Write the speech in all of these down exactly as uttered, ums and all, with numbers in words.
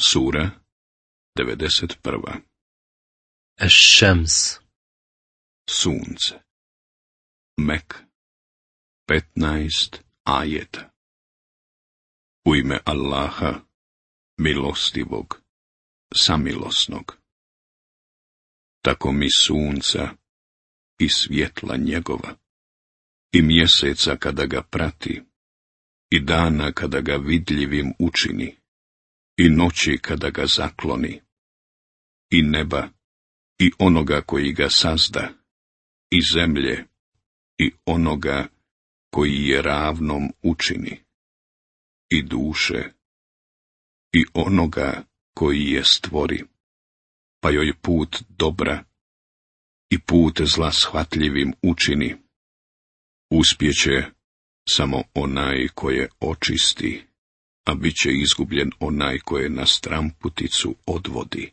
Sura devedeset prva. Eš-Šems. Sunce. Mek. petnaest ajeta. U ime Allaha, milostivog, samilosnog. Tako mi sunca i svjetla njegova, i mjeseca kada ga prati, i dana kada ga vidljivim učini, i noći kada ga zakloni, i neba, i onoga koji ga sazda, i zemlje, i onoga koji je ravnom učini, i duše, i onoga koji je stvori, pa joj put dobra i put zla shvatljivim učini. Uspjeće samo onaj koje očisti, a bit će izgubljen onaj koje na stramputicu odvodi.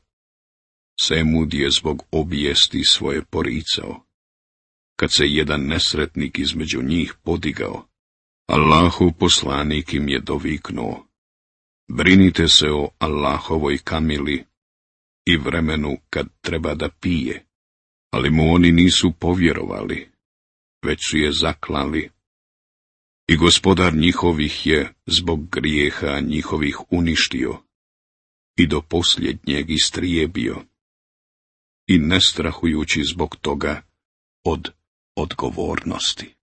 Semud je zbog obijesti svoje poricao. Kad se jedan nesretnik između njih podigao, Allahov poslanik im je doviknuo: brinite se o Allahovoj kamili i vremenu kad treba da pije, ali mu oni nisu povjerovali, već su je zaklali. I gospodar njihovih je zbog grijeha njihovih uništio i do posljednjeg istrijebio, i ne strahujući zbog toga od odgovornosti.